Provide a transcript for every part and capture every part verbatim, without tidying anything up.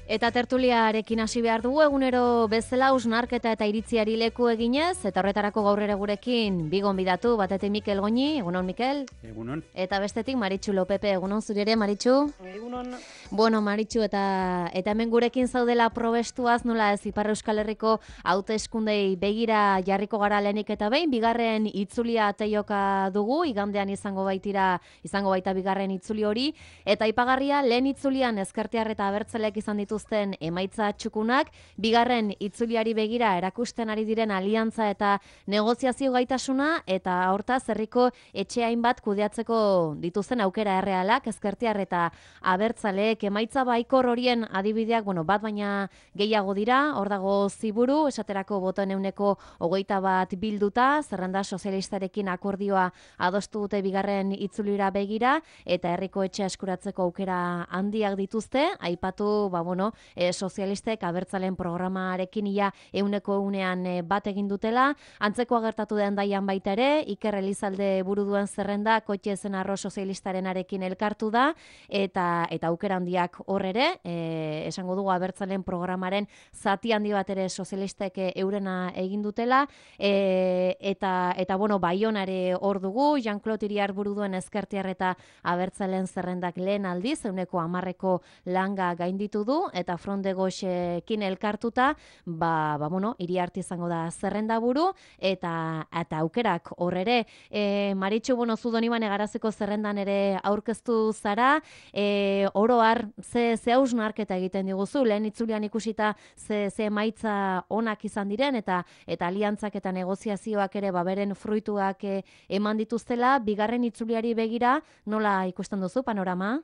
Eta tertuliarekin hasi behar dugu egunero bezala hausnarketa eta iritziari leku eginez, eta horretarako gaur ere gurekin bi gonbidatu, batetik Mikel Goñi, egunon Mikel? Egunon. Eta bestetik Maritxu Lopepe, egunon zuri ere Maritxu? Egunon. Bueno, Maritxu, eta eta hemen gurekin zaudela probestuaz, nola ez Ipar Euskal Herriko hauteskundei begira jarriko gara lehenik eta behin, bigarren itzulia teioka dugu, igandean izango baitira, izango baita bigarren itzuli hori, eta aipagarria lehen itzulian ezkertiar eta abertzaleak izan dituzten emaitza txukunak, bigarren itzuliari begira erakusten ari diren aliantza eta negoziazio gaitasuna, eta hortaz herriko etxe hainbat kudeatzeko dituzten aukera errealak, ezkertiar eta abertzaleek emaitza baikor horien adibideak, bueno, bat baina gehiago dira, hor dago Ziburu, esaterako botoen euneko hogeita bat bilduta, zerrenda sozialistarekin akordioa adostu dute bigarren itzulira begira, eta herriko etxe eskuratzeko aukera handiak dituzte, aipatu, ba, bueno, e, sozialistek abertzaleen programarekin ia euneko eunean e, bat egin dutela, antzeko agertatu den daian baita ere, Iker Elizalde buru duen zerrenda, kotxe zen arro sozialistarenarekin elkartu da, eta eta aukera handiak hor ere, e, esango dugu abertzalen programaren zati handi bat ere sozialistek eurena egin dutela, e, eta eta bueno, Baionare hor dugu, Jean-Claude Iriar buru duen ezkertiar eta abertzalen zerrendak lehen aldiz, euneko hamarreko langa gainditu du, eta Front de Gauchekin elkartuta, ba, ba bueno, Iriarte izango da zerrenda buru, eta eta aukerak hor ere, e, Maritxu, bueno, zu Donibane Garaziko zerrendan ere aurkeztu zara, E, oro har, ze, ze hausnarketa egiten diguzu, lehen itzulian ikusita ze, ze emaitza onak izan diren, eta eta aliantzak eta negoziazioak ere baberen fruituak e, eman dituztela, bigarren itzuliari begira, nola ikusten duzu panorama?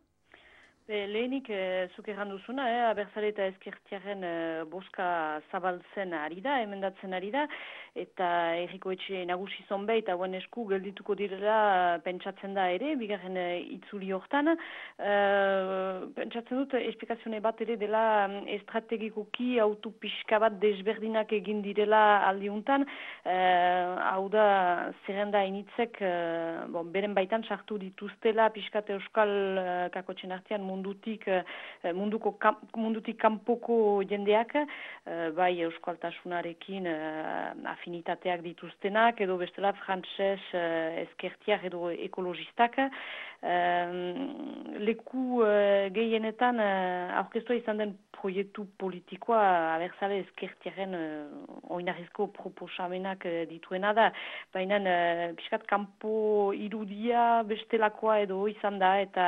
Be, lehenik, e, zuk erran duzuna, eh, abertzale eta ezkertiaren e, boska zabaltzen ari da, emendatzen ari da, eta herriko etxe nagusi zonbait, hauen esku geldituko direla pentsatzen da ere, bigarren e, itzuli hortan. E, pentsatzen dut, esplikazione bat ere dela estrategikoki autu pixka bat desberdinak egin direla aldiuntan, e, hau da, zerrenda initzek, e, bon, beren baitan sartu dituztela pixkate euskal e, kakotxen artean mundutik munduko mundutik kanpoko jendeak, bai euskaltasunarekin afinitateak dituztenak edo bestela frantses ezkertiak edo ekologistak, leku gehienetan aurkeztua izan den proiektu politikoa abertzale ezkertiaren oinarrizko proposamenak dituena da, baina pixkat kanpo irudia bestelakoa edo izan da, eta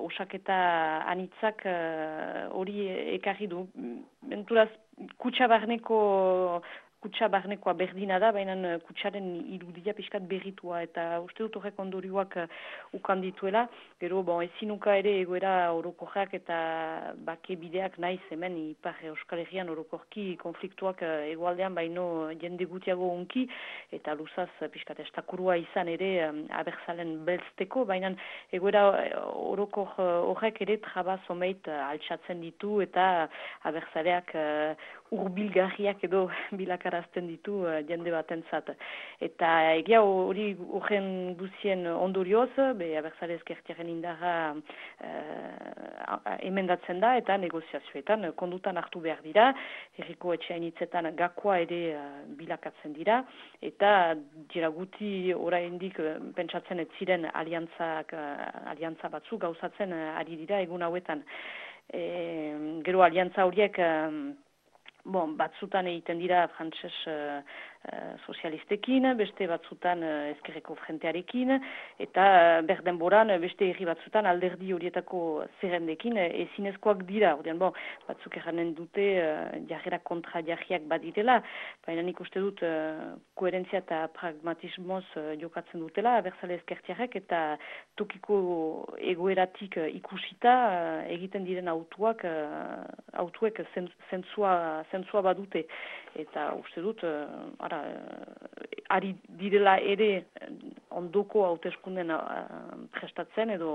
osaketa anitzak hori uh, ekarri du. Menturaz, kutsa barneko kutsa barnekoa berdina da, baina kutsaren irudia pixkat berritua, eta uste dut horrek ondorioak uh, ukan dituela, gero bon, ezinuka ere egoera orokorrak eta bake bideak naiz hemen Ipar Euskal Herrian orokorki konfliktuak uh, egoaldean baino jende gutiago unki, eta luzaz uh, pixkat estakurua izan ere um, abertzalen belzteko, baina egoera orokor horrek ere traba zomeit uh, altxatzen ditu, eta abertzaleak uh, urbilgarriak edo bilakarazten ditu uh, jende batentzat. Eta egia hori horren guzien ondorioz, be abertzale ezkertiaren indarra uh, emendatzen da, eta negoziazioetan kondutan hartu behar dira, herriko etxeainitzetan gakoa ere uh, bilakatzen dira, eta dira guti oraindik uh, pentsatzen ez ziren aliantzak, uh, aliantza batzu gauzatzen uh, ari dira egun hauetan. E, gero aliantza horiek um, Bon, batzutan egiten dira frantses uh, uh, sozialistekin, beste batzutan uh, ezkerreko frentearekin, eta uh, berdenboran beste herri batzutan alderdi horietako zerrendekin uh, ezinezkoak dira. Ordean, bon, batzuk erranen dute uh, jarrera kontra jarriak badirela, baina nik uste dut uh, koherentzia eta pragmatismoz uh, jokatzen dutela, abertzale ezkertiarrek, eta tokiko egoeratik uh, ikusita uh, egiten diren autuak, uh, autuek zentzua zentzua badute, eta uste dut, uh, ara, uh, ari direla ere ondoko hauteskunden uh, prestatzen edo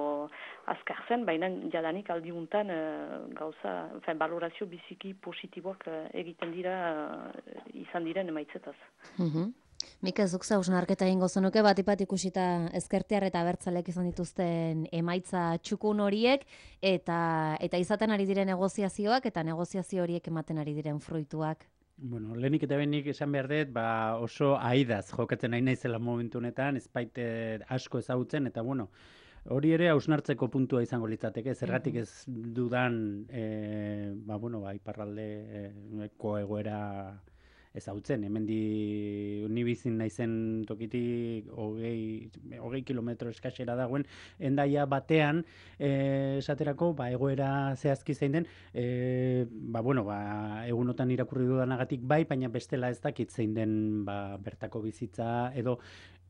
azkartzen, baina jadanik aldiuntan uh, gauza, fen, balorazio biziki positiboak uh, egiten dira uh, izan diren emaitzetaz. Mm-hmm. Mika, zuk hausnarketa egingo zenuke, bat-ipat ikusita ezkertiar eta abertzalek izan dituzten emaitza txukun horiek, eta eta izaten ari diren negoziazioak, eta negoziazio horiek ematen ari diren fruituak. Bueno, lehenik eta benik esan behar dut, ba oso aidaz jokatzen nahi naizela momentu honetan, ez baite asko ezagutzen, eta bueno, hori ere hausnartzeko puntua izango litzateke, zergatik ez dudan, e, ba bueno, ba iparraldeko egoera ezagutzen, hemendi ni bizin naizen tokitik hogei, hogei kilometro eskasera dagoen, Hendaia batean, eh, esaterako, ba, egoera zehazki zein den, eh, ba, bueno, ba, egunotan irakurri dudanagatik bai, baina bestela ez dakit zein den ba, bertako bizitza, edo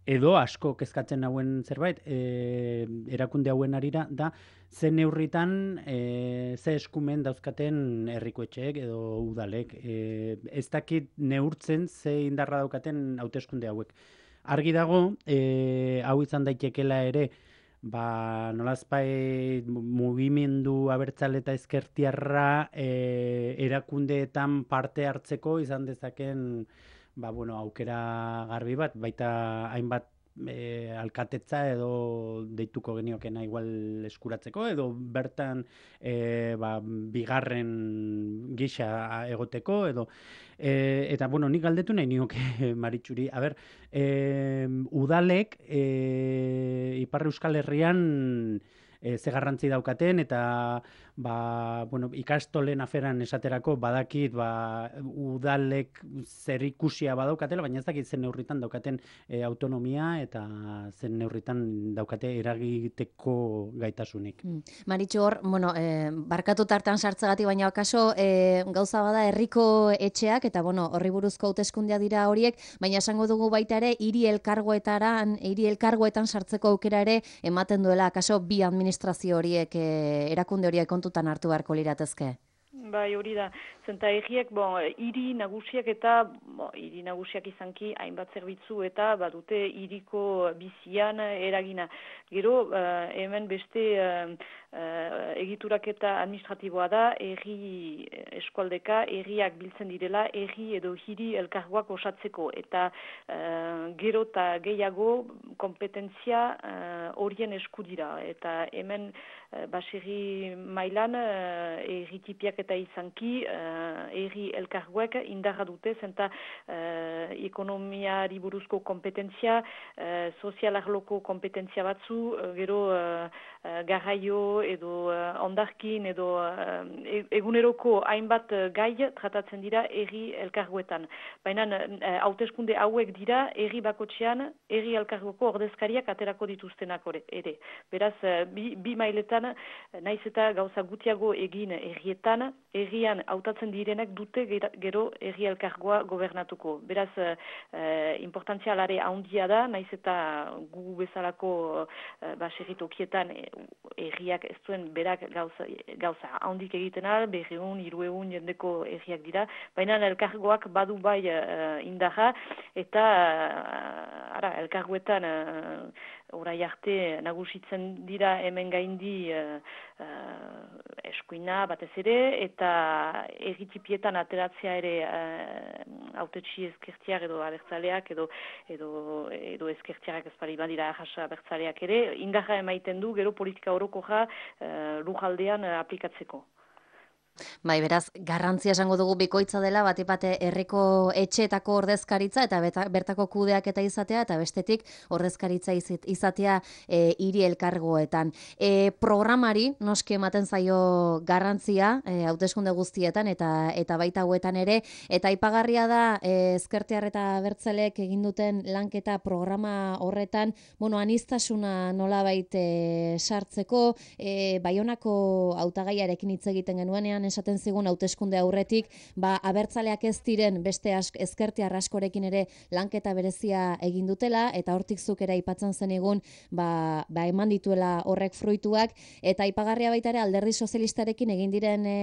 edo asko kezkatzen hauen zerbait, e, erakunde hauen arira, da, ze neurritan, e, ze eskumen dauzkaten herrikoetxeek edo udalek. E, ez dakit neurtzen ze indarra daukaten hauteskunde hauek. Argi dago, e, hau izan daitekela ere, ba, nolazpai mugimendu abertzale eta ezkertiarra e, erakundeetan parte hartzeko izan dezaken ba, bueno, aukera garbi bat, baita hainbat e, alkatetza edo deituko geniokena igual eskuratzeko, edo bertan e, ba, bigarren gisa egoteko, edo e, eta, bueno, nik galdetu nahi nioke Maritxuri, a ber, e, udalek e, Ipar Euskal Herrian e, ze garrantzi daukaten, eta ba, bueno, ikastolen aferan esaterako badakit ba, udalek zer ikusia badaukatela, baina ez dakit zen neurritan daukaten e, autonomia eta zen neurritan daukate eragiteko gaitasunik. Mm. Maritxu hor, bueno, e, barkatu tartan sartzagatik, baina akaso e, gauza bada herriko etxeak, eta bueno, horri buruzko hauteskundea dira horiek, baina esango dugu baita ere, hiri elkargoetaran, hiri elkargoetan sartzeko aukera ere ematen duela, akaso bi administrazio horiek, e, erakunde horiek kontutan hartu beharko liratezke. Bai, hori da. Zenta egiek, bon, hiri nagusiak eta, bon, hiri nagusiak izanki, hainbat zerbitzu eta badute hiriko bizian eragina. Gero, uh, hemen beste uh, uh, egituraketa administratiboa da, erri eskualdeka, erriak biltzen direla, erri edo hiri elkargoak osatzeko. Eta uh, gero eta gehiago kompetentzia horien uh, esku dira. Eta hemen uh, baserri mailan uh, erritipiak eta izanki, uh, erri elkargoek indarra dute, zenta uh, ekonomiari buruzko kompetentzia, uh, sozialarloko kompetentzia batzu, uh, gero uh, uh, garraio edo uh, ondarkin edo uh, eguneroko hainbat uh, gai tratatzen dira erri elkargoetan. Baina hauteskunde uh, hauek dira erri bakotxean erri elkargoko ordezkariak aterako dituztenak ere. Beraz, uh, bi, bi mailetan, naiz eta gauza gutiago egin errietan, errian hautatzen direnek dute gero erri elkargoa gobernatuko. Beraz, eh, importantzia alare handia da, naiz eta gu bezalako eh, baserritokietan erriak ez duen berak gauza, gauza handik egiten al, berreun, hirueun jendeko erriak dira, baina elkargoak badu bai eh, indarra, eta eh, ara, elkargoetan eh, orai arte nagusitzen dira hemen gaindi uh, uh, eskuina batez ere, eta erritipietan ateratzea ere uh, autetxi ezkertiak edo abertzaleak edo, edo, edo ezkertiak ez pari badira ahasa abertzaleak ere, indarra emaiten du gero politika orokorra uh, lujaldean uh, aplikatzeko. Bai, beraz, garrantzia esango dugu bikoitza dela, batipate herriko etxeetako ordezkaritza eta beta, bertako kudeak eta izatea, eta bestetik ordezkaritza izatea e, hiri elkargoetan. E, programari, noski ematen zaio garrantzia, e, hauteskunde guztietan eta eta baita hauetan ere, eta aipagarria da e, ezkertiar eta abertzaleek egin duten lanketa programa horretan, bueno, aniztasuna nolabait e, sartzeko, e, Baionako hautagaiarekin hitz egiten genuenean, esaten zigun hauteskunde aurretik, ba, abertzaleak ez diren beste ask, ezkertiar askorekin ere lanketa berezia egin dutela, eta hortik zuk ere aipatzen zenigun, ba, ba eman dituela horrek fruituak, eta aipagarria baita ere alderdi sozialistarekin egin diren e,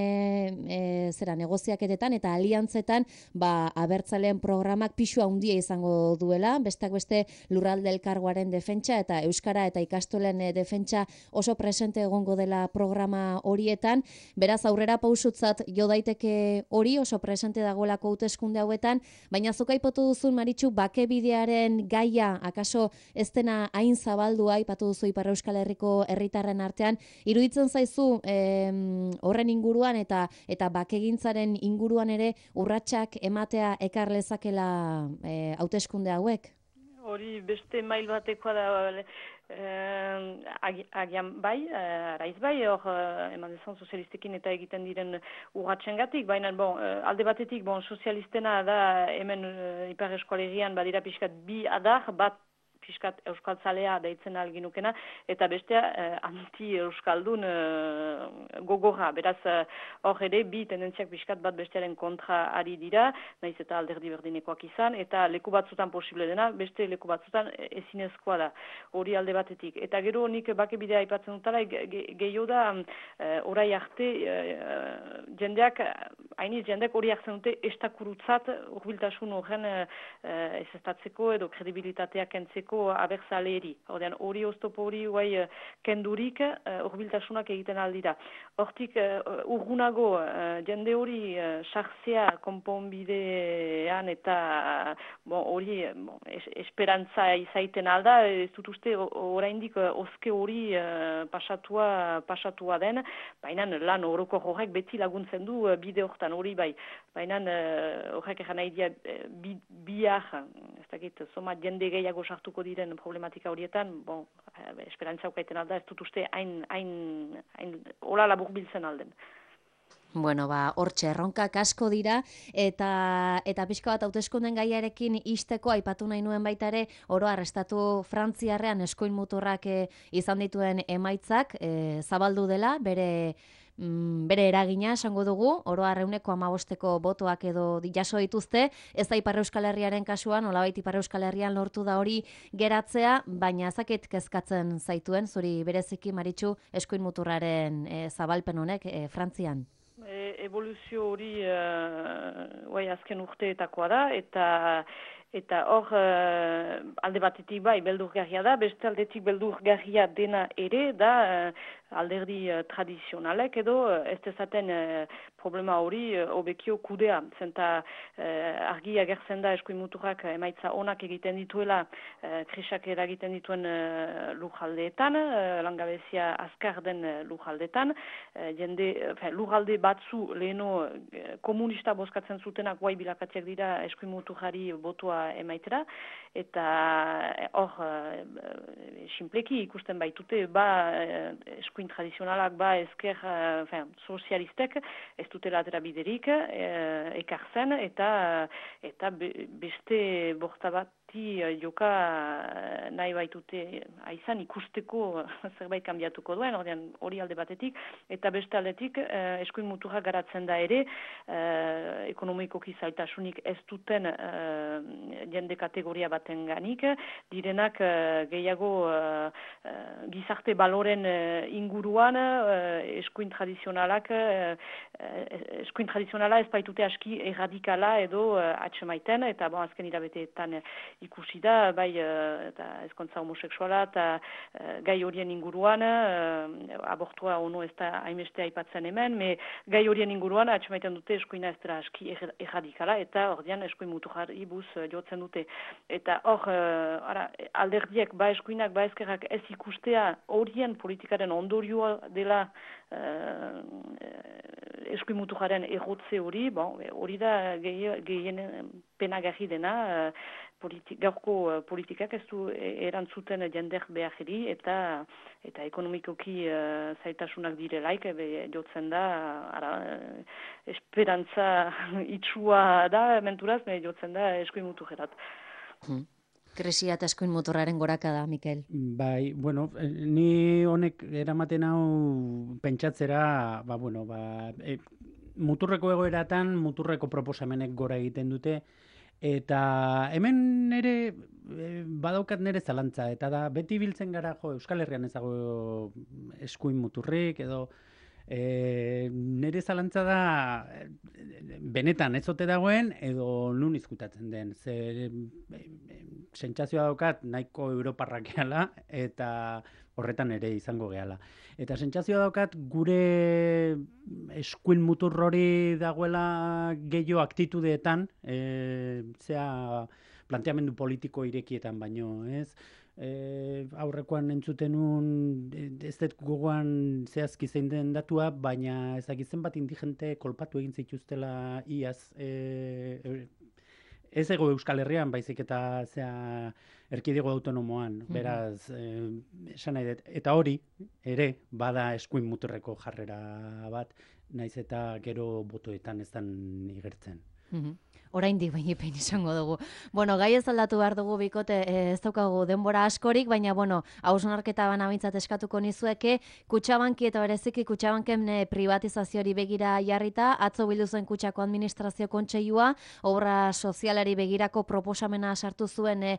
e, zera negoziaketetan eta aliantzetan, ba, abertzaleen programak pisu handia izango duela, besteak beste lurralde elkargoaren defentsa eta euskara eta ikastolen defentsa oso presente egongo dela programa horietan, beraz aurrera pausutzat jo daiteke hori, oso presente dagoelako hauteskunde hauetan, baina zuk aipatu duzun, Maritxu, bakebidearen gaia, akaso ez dena hain zabaldua, aipatu duzu Ipar Euskal Herriko herritarren artean, iruditzen zaizu em, horren inguruan eta eta bakegintzaren inguruan ere urratsak ematea ekar lezakela eh, hauteskunde hauek? Hori beste mail batekoa da, eh, agi, agian bai, eh, araiz bai, hor eh, eman dezan sozialistekin eta egiten diren urratxengatik, baina bon, eh, alde batetik bon, sozialistena da hemen eh, Ipar Eskualerian badira pixkat bi adar, bat pixkat euskaltzalea deitzen alginukena, eta bestea eh, anti-euskaldun eh, gogorra. Beraz, hor ere, bi tendentziak pixkat bat bestearen kontra ari dira, naiz eta alderdi berdinekoak izan, eta leku batzutan posible dena, beste leku batzutan ezinezkoa da, hori alde batetik. Eta gero nik bakebidea aipatzen dutala, gehiago da, eh, orai arte, eh, jendeak, hainiz jendeak hori hartzen dute estakurutzat, urbiltasun horren eh, ezestatzeko edo kredibilitatea kentzeko abertzaleri. Ordean, hori oztopo hori guai kendurik urbiltasunak egiten aldira. Hortik urgunago jende hori sartzea konponbidean eta hori bon, es, esperantza izaiten alda, ez dut uste oraindik oske hori pasatua, pasatua den, baina lan horoko horrek beti laguntzen du bide hortan hori bai. Baina horrek egan nahi dia bi, biar, ez dakit, soma jende gehiago sartuko diren problematika horietan, bon, esperantza ukaiten alda, ez dut uste hain, hain, hain, hola labur biltzen alden. Bueno, ba, hortxe, erronkak asko dira, eta eta pixka bat hauteskunden gaiarekin isteko aipatu nahi nuen baita ere, oro arrestatu Frantziarrean eskuin muturrak e, izan dituen emaitzak, e, zabaldu dela, bere bere eragina esango dugu, oro arreuneko amabosteko botoak edo jaso dituzte, ez da Ipar Euskal Herriaren kasuan, olabait Ipar Euskal Herrian lortu da hori geratzea, baina zaket kezkatzen zaituen, zuri bereziki Maritxu eskuin muturraren e, zabalpen honek e, Frantzian. E, evoluzio hori uh, azken urteetakoa da, eta Eta hor, uh, alde batetik bai, beldurgarria da, beste aldetik beldurgarria dena ere da uh, alderdi uh, tradizionalek edo uh, ez dezaten uh, problema hori uh, obekio kudea. Zenta uh, argi agertzen da eskuin muturrak emaitza onak egiten dituela uh, krisak eragiten dituen uh, lujaldeetan, uh, langabezia azkar den uh, lujaldeetan, uh, jende, uh, lujalde batzu leheno uh, komunista bozkatzen zutenak guai bilakatziak dira eskuin muturrari botua emaitera, eta hor sinpleki ikusten baitute ba eskuin tradizionalak ba ezker uh, sozialistek ez dutela atera biderik uh, ekartzen eta eta be, beste borta bat joka nahi baitute aizan ikusteko zerbait kanbiatuko duen, ordean hori alde batetik, eta beste aldetik eh, eskuin muturra garatzen da ere, eh, ekonomikoki zailtasunik ez duten eh, jende kategoria baten ganik, direnak eh, gehiago eh, gizarte baloren eh, inguruan eh, eskuin tradizionalak eh, eskuin tradizionala ez baitute aski erradikala edo eh, atxemaiten, eta bon, azken irabeteetan ikusi da, bai eta ezkontza homoseksuala eta uh, gai horien inguruan, uh, abortua ono ez da haimeste aipatzen hemen, me gai horien inguruan atxemaiten dute eskuina ez dela aski erradikala, eta ordean eskuin muturrari buz uh, jotzen dute. Eta hor, uh, ara, alderdiek ba eskuinak, ba ezkerrak ez ikustea horien politikaren ondorioa dela uh, eskuin muturraren errotze hori, bon, hori da gehien penagarri dena, uh, Politi- gaurko uh, politikak ez du erantzuten jender behari eta eta ekonomikoki uh, zaitasunak direlaik ebe jotzen da ara, esperantza itxua da menturaz, me jotzen da eskuin muturrerat. Hmm. Krisia eta eskuin muturraren goraka da, Mikel. Bai, bueno, ni honek eramaten hau pentsatzera, ba, bueno, ba, e, muturreko egoeratan, muturreko proposamenek gora egiten dute, eta hemen ere e, badaukat nere zalantza, eta da beti biltzen gara jo, Euskal Herrian ez dago eskuin muturrik edo e, nere zalantza da benetan ez ote dagoen edo nun izkutatzen den. Ze, e, sentsazioa daukat nahiko europarrak gehala eta horretan ere izango gehala. Eta sentsazioa daukat gure eskuin mutur hori dagoela gehiago aktitudeetan, e, zea planteamendu politiko irekietan baino, ez? E, aurrekoan entzutenun ez dut gogoan zehazki zein den datua, baina ezakitzen bat indigente kolpatu egin zituztela iaz, e, e, ez ego Euskal Herrian, baizik eta zea erkidego autonomoan, beraz, eh, esan nahi dut, eta hori ere bada eskuin muturreko jarrera bat, naiz eta gero botoetan ez dan igertzen. Oraindik bainipein izango dugu. Bueno, gai ez aldatu behar dugu bikote, ez daukagu denbora askorik, baina, bueno, hausnarketa bana bintzat eskatuko nizueke, Kutxabanki eta bereziki Kutxabanken privatizazioari begira jarrita, atzo bildu zen Kutxako Administrazio Kontseilua, obra sozialari begirako proposamena sartu zuen, e,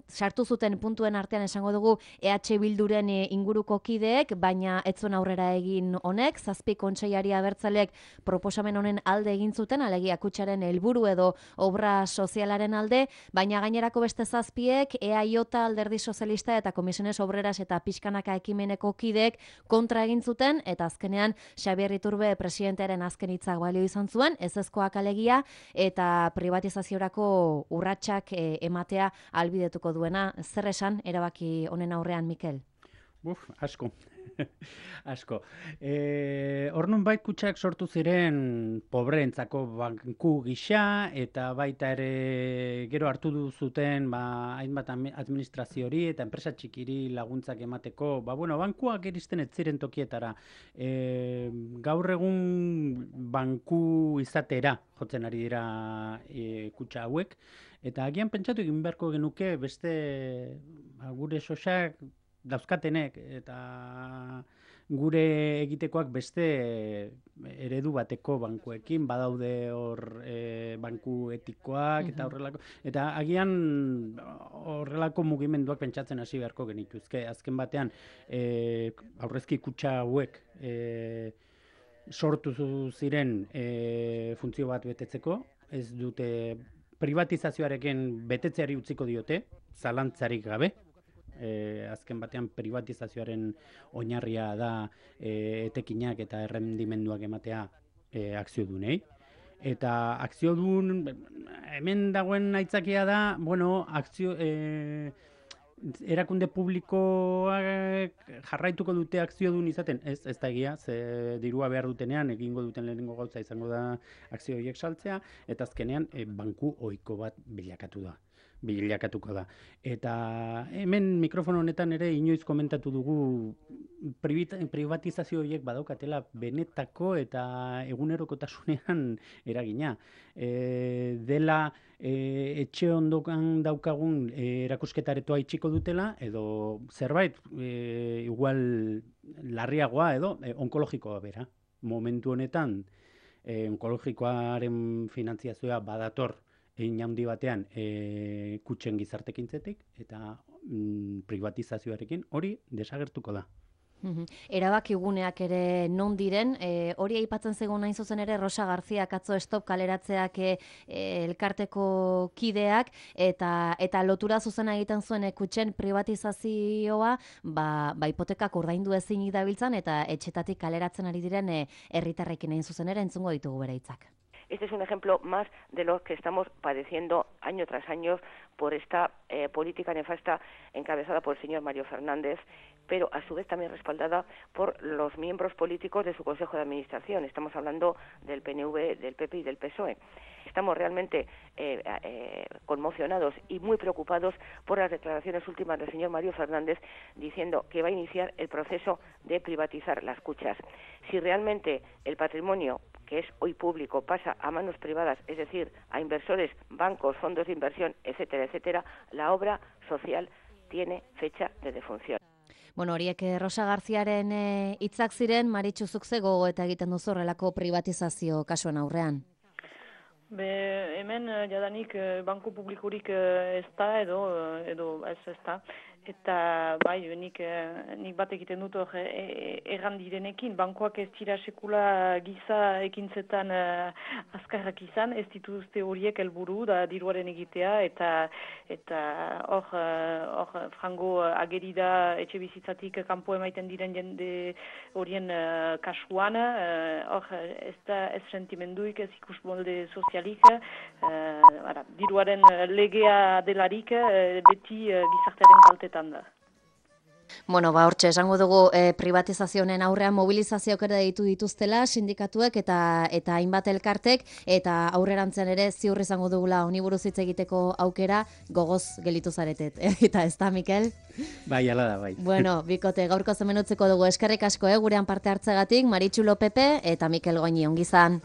sartu zuten puntuen artean esango dugu E H Bilduren inguruko kideek, baina ez zuen aurrera egin honek, zazpi kontseilari abertzalek proposamen honen alde egin zuten, alegia Kutxaren helburu edo obra sozialaren alde, baina gainerako beste zazpiek E A J, Alderdi Sozialista eta Komisiones Obreras eta Pixkanaka ekimeneko kideek kontra egin zuten, eta azkenean Xabier Iturbe presidentearen azken hitzak balio izan zuen, ezezkoak alegia, eta privatizaziorako urratsak e, ematea albidetuko duena. Zer esan erabaki honen aurrean, Mikel? Uf, asko. Asko. E, Hornun bait Kutxak sortu ziren pobreentzako banku gisa, eta baita ere gero hartu du zuten ba, hainbat administraziori eta enpresa txikiri laguntzak emateko, ba, bueno, bankuak iristen ez ziren tokietara. E, gaur egun banku izatera jotzen ari dira e, Kutxa hauek, eta agian pentsatu egin beharko genuke beste ba, gure sosak dauzkatenek eta gure egitekoak beste eredu bateko bankuekin, badaude hor e, banku etikoak eta horrelako, eta agian horrelako mugimenduak pentsatzen hasi beharko genituzke. Azken batean e, aurrezki kutxa hauek e, sortu ziren e, funtzio bat betetzeko, ez dute privatizazioarekin betetzeari utziko diote, zalantzarik gabe. E, azken batean privatizazioaren oinarria da e, etekinak eta errendimenduak ematea e, akziodunei. Eta akziodun, hemen dagoen aitzakia da, bueno, akzio, e, erakunde publikoak jarraituko dute akziodun izaten, ez, ez da egia, ze dirua behar dutenean egingo duten lehenengo gauza izango da akzio horiek saltzea, eta azkenean e, banku ohiko bat bilakatu da. bilakatuko da. Eta hemen mikrofono honetan ere inoiz komentatu dugu privatizazio horiek badaukatela benetako eta egunerokotasunean eragina. E, dela e, etxe ondokan daukagun e, erakusketaretoa itxiko dutela, edo zerbait e, igual larriagoa edo e, onkologikoa bera. Momentu honetan e, onkologikoaren finantziazioa badator egin handi batean e, kutxen gizartekintzetik eta mm, privatizazioarekin hori desagertuko da. Erabakiguneak ere non diren, e, hori aipatzen zegoen hain zuzen ere Rosa Garziak atzo stop kaleratzeak e, elkarteko kideak eta eta lotura zuzena egiten zuen e, kutxen privatizazioa, ba, ba hipotekak ordaindu ezinik dabiltzan eta etxetatik kaleratzen ari diren herritarrekin hain zuzen ere entzungo ditugu bere hitzak. Este es un ejemplo más de lo que estamos padeciendo año tras año por esta eh, política nefasta encabezada por el señor Mario Fernández, pero a su vez también respaldada por los miembros políticos de su Consejo de Administración. Estamos hablando del P N V, del P P y del P S O E. Estamos realmente eh, eh, conmocionados y muy preocupados por las declaraciones últimas del señor Mario Fernández diciendo que va a iniciar el proceso de privatizar las cuchas. Si realmente el patrimonio que es hoy público pasa a manos privadas, es decir, a inversores, bancos, fondos de inversión, etcétera, etcétera, la obra social tiene fecha de defunción. Bueno, horiek Rosa Garziaren hitzak e, ziren, Maritxu zuk ze gogo eta egiten duzu horrelako privatizazio kasuen aurrean? Be, hemen jadanik banku publikurik ez da edo, edo ez ez da. Eta bai, nik, nik bat egiten dut hor e, erran direnekin, bankoak ez dira sekula giza ekintzetan uh, azkarrak izan, ez dituzte horiek helburu da diruaren egitea, eta eta hor uh, frango ageri da etxe bizitzatik kanpo emaiten diren jende horien uh, kasuan, hor uh, ez da ez sentimenduik, ez ikusmolde sozialik, uh, ara, diruaren legea delarik uh, beti uh, gizartearen kaltetan da. Bueno, ba, hortxe, esango dugu e, privatizazioen aurrean mobilizazioak ere ditu dituztela, sindikatuek eta eta hainbat elkartek, eta aurrerantzean ere ziur izango dugula honi buruz hitz egiteko aukera, gogoz gelitu zaretet. Eta ez da, Mikel? Bai, ala da, bai. Bueno, bikote, gaurko zemenutzeko dugu eskerrik asko, eh, gurean parte hartzegatik, Maritxu Lopepe eta Mikel Goñi, ongizan.